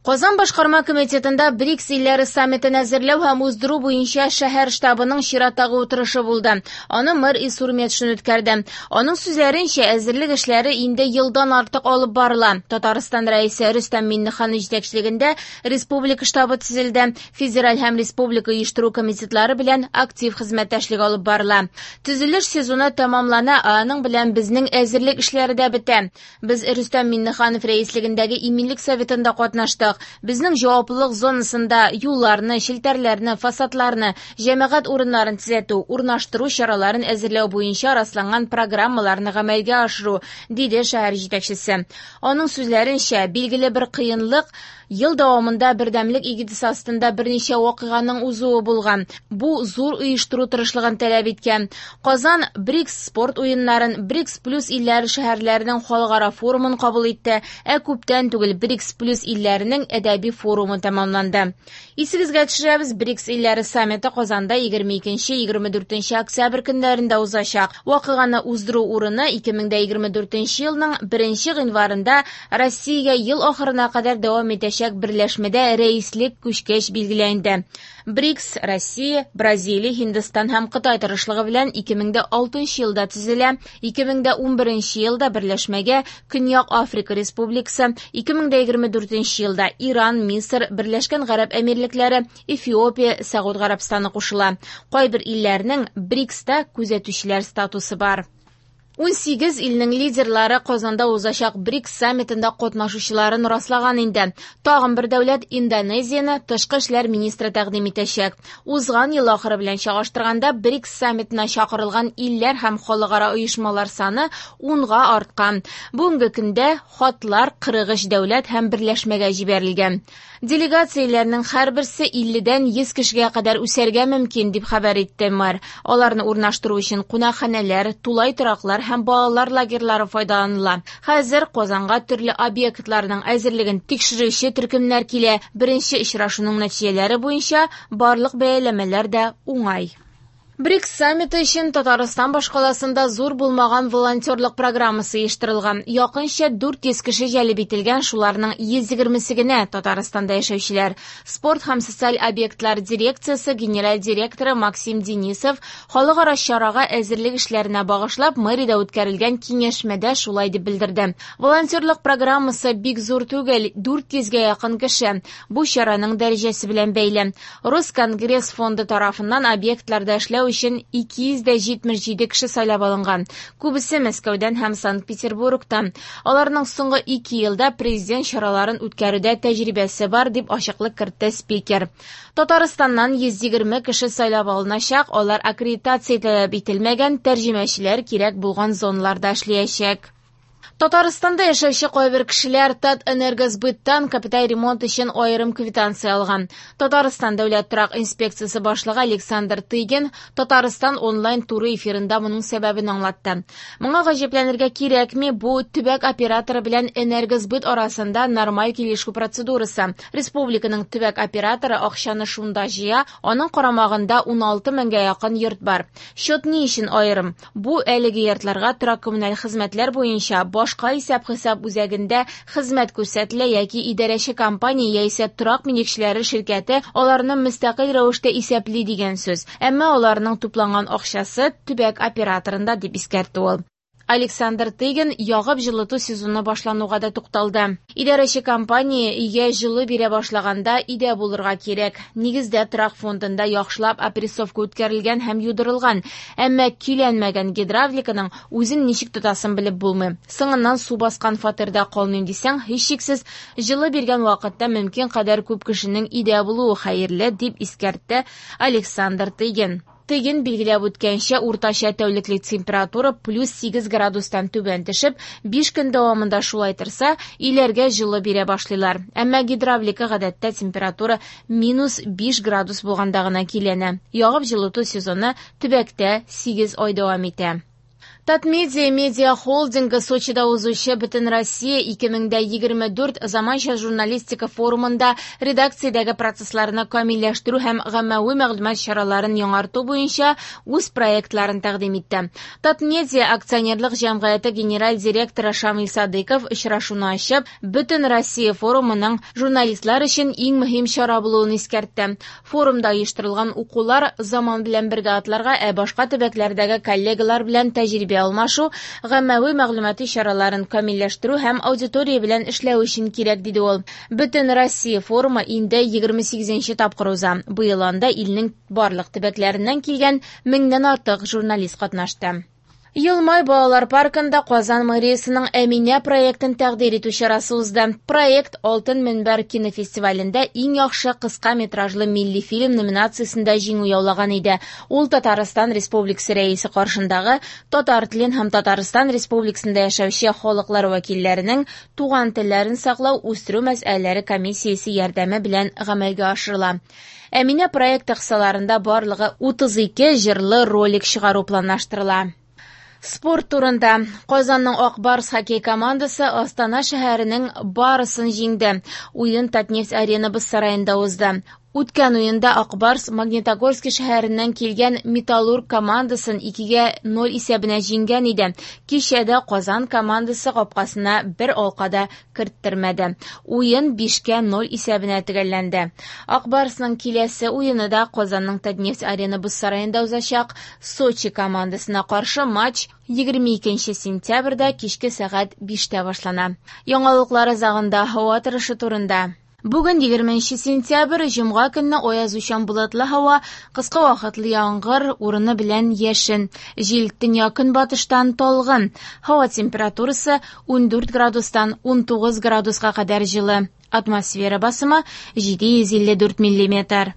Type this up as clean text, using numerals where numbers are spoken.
Казан башкарма комитетында БРИКС илләре саммитын әзерләү һәм уздыру буенча шәһәр штабының чираттагы утырышы булды. Аны мэр Илсур Метшин үткәрде. Аның сүзләренчә, әзерлек эшләре инде елдан артык алып барыла. Татарстан Рәисе Рөстәм Миңнеханов җитәкчелегендә республика штабы төзелде. Федераль һәм республика оештыру комитетлары белән актив хезмәттәшлек алып барыла. Төзелеш сезоны тәмамлана, ә аның белән безнең әзерлек эшләре дә бетә. Без Рөстәм Миңнеханов рәислегендәге Иминлек советында катнаштык. Безнең җаваплылык зонасында юлларны, челтәрләрне, фасадларны, җәмәгать урыннарын төзәтү, урнаштыру чараларын әзерләү буенча расланган программаларны гамәлгә ашыру, диде шәһәр җитәкчесе. Аның сүзләренчә, билгеле бер кыенлык ел дәвамында бердәмлек эгидасы астында берничә вакыйганың узуы булган. Бу зур оештыру тырышлыгын таләп иткән. Казан БРИКС спорт уеннарын, БРИКС плюс илләре шәһәрләренең халыкара форумын кабул итте, ә күптән түгел БРИКС плюс илләренең әдәби форумы тәмамланды. Исегезгә төшерәбез, БРИКС илләре саммиты Казанда 22-24 октябрь көннәрендә узачак. Вакыйганы уздыру урыны 2024 елның 1 гыйнварында Россиягә ел ахырына кадәр дәвам итәчәк берләшмәдә рәислек күчкәч билгеләнде. БРИКС Россия, Бразилия, Һиндстан һәм Кытай тырышлыгы белән 2006 елда төзелә. 2011 елда берләшмәгә Көньяк Африка Республикасы, 2024 елда Иран, Мисыр, Берләшкән Гарәп Әмирлекләре, Эфиопия, Сәгуд Гарәбстаны кушыла. Кайбер илләрнең БРИКСта күзәтүчеләр статусы бар. 18 илнең лидерлары Казанда узачак БРИКС саммитында катнашучыларын раслаган инде. Тагын бер дәүләт Индонезияне тышкы эшләр министры тәкъдим итәчәк. Узган ел ахыры белән чагыштырганда БРИКС саммитына чакырылган илләр һәм халыкара оешмалар саны 10-га арткан. Бүгенге көндә хатлар 43 дәүләт һәм берләшмәгә җибәрелгән. Делегацияләрнең һәрберсе 50-дән 100 кешегә кадәр үсәргә мөмкин, дип хәбәр итте мэр. Аларны урнаштыру өчен кунакханәләр, тулай тораклар һәм балалар лагерьлары файдаланыла. Хәзер Казанга төрле объектларның әзерлеген тикшерүче төркемнәр килә. Беренче очрашуның нәтиҗәләре буенча барлык бәяләмәләр дә уңай. БРИКС саммиты өчен Татарстан башкаласында зур булмаган волонтерлык программасы оештырылган. Якынча 400 кеше җәлеп ителгән, шуларның 120-се генә Татарстанда яшәүчеләр. Спорт һәм социаль объектлар дирекциясе генераль директоры Максим Денисов халыкара чарага әзерлек эшләренә багышлап мэриядә үткәрелгән киңәшмәдә шулай дип белдерде. Волонтерлык программасы бик зур түгел, 400гә якын кеше. Бу чараның дәрәҗәсе белән бәйле. Росконгресс фонды тарафыннан объектларда эшләү өчен 277 кеше сайлап алынган. Күбесе Мәскәүдән һәм Санкт-Петербургтан. Аларның соңгы 2 елда президент чараларын үткәрүдә тәҗрибәсе бар, дип ачыклык кертте спикер. Татарстаннан 120 кеше сайлап алыначак, алар аккредитация таләп ителмәгән тәрҗемәчеләр кирәк булган зоналарда эшләячәк. Татарстанда яшәүче кайбер кешеләр Татэнергосбыттан капиталь ремонт өчен аерым квитанция алган. Татарстан дәүләт торак инспекциясе башлыгы Александр Тыгин Татарстан онлайн туры эфирында моның сәбәбен аңлатты. Моңа гаҗәпләнергә кирәкми, бу төбәк операторы белән энергосбыт арасында нормаль килешү процедурасы. Республиканың төбәк операторы акчаны шунда җыя, аның карамагында 16 меңгә якын йорт бар. Счет ни өчен аерым? Бу әлеге йортларга торак коммуналь хезмәтләр буенча башка исәп-хисап үзәгендә хезмәт күрсәтелә яки идарәче компания яисә торак милекчеләре ширкәте аларны мөстәкыйль рәвештә исәпли дигән сүз. Әмма аларның тупланган акчасы төбәк операторында, дип искәртте ул. Александр Тыгин ягып җылыту сезоны башлануга да тукталды. Идарәче компания өйгә җылы бирә башлаганда өйдә булырга кирәк. Нигездә торак фондында яхшылап опрессовка үткәрелгән һәм юдырылган, әмма көйләнмәгән гидравликаның үзен ничек тотасын белеп булмый. Соңыннан су баскан фатирда калмыйм дисәң, һичшиксез җылы биргән вакытта мөмкин кадәр күп кешенең өйдә булуы хәерле, дип искәртте Александр Тыгин. Тыгин билгеләп үткәнчә, уртача тәүлеклек температура плюс 8 градустан түбән төшеп, 5 көн дәвамында шулай торса, өйләргә җылы бирә башлыйлар. Әмма гидравлика гадәттә температура минус 5 градус булганда гына киләнә. Ягып җылыту сезоны төбәктә 8 ай дәвам итә. Татмедиа медиа холдингы Сочида узучы Бөтенроссия 2024 заманча журналистика форумында редакциядәге процессларны камилләштерү һәм гаммәви мәгълүмат чараларын яңарту буенча үз проектларын тәкъдим итте. Татмедиа акционерлык җәмгыяте генераль директоры Шамил Садыйков очрашуны ачып, Бөтенроссия форумының журналистлар өчен иң мөһим чара булуын искәртте. Форумда оештырылган укулар заман белән бергә атларга, ә башка төбәкләрдәге коллегалар белән тәҗрибә алмашу, гаммәви мәгълүмати чараларын камилләштерү һәм аудитория белән эшләү өчен кирәк, диде ул. Бөтен Россия форумы инде 28нче тапкыр уза. Быел анда илнең барлык төбәкләреннән килгән меңнән артык журналист катнашты. Елмай балалар паркында Казан мэриясының Әминә проектын тәкъдир итү чарасы узды. Проект Алтын мөнбәр кинофестивалендә иң яхшы кыска метражлы милли фильм номинациясендә җиңү яулаган иде. Ул Татарстан Республикасы рәисе каршындагы татар телен һәм Татарстан Республикасында яшәүче халыклар вәкилләренең туган телләрен саклау, үстерү мәсьәләләре комиссиясе ярдәме белән гамәлгә ашырыла. Әминә проекты кысаларында барлыгы 32 җырлы ролик чыгару планлаштырыла. Спорт турында. Казанның Ак Барс хоккей командасы Астана шәһәренең Барысын җиңде. Уен Татнефть Арена боз сараенда узды. Үткән уенда Ак Барс Магнитогорский шәһәреннән килгән Металлург командасын 2-0 исәбенә җиңгән иде. Кичәдә Казан командасы капкасына бер алка да керттермәде. Уен 5-0 исәбенә төгәлләнде. Ак Барсның киләсе уены да Казанның Татнефть Арена боз сараенда узачак. Сочи командасына каршы матч 22 сентябрьдә кичке сәгать 5-тә башлана. Яңалыклар азагында һава торышы турында. Бүген 20 сентябрь, җомга көнне аязучан болытлы һава, кыска вакытлы яңгыр, урыны белән яшен. Җил төньяк-көнбатыштан талгын. Һава температурасы 14 градустан 19 градуска кадәр җылы. Атмосфера басымы 754 миллиметр.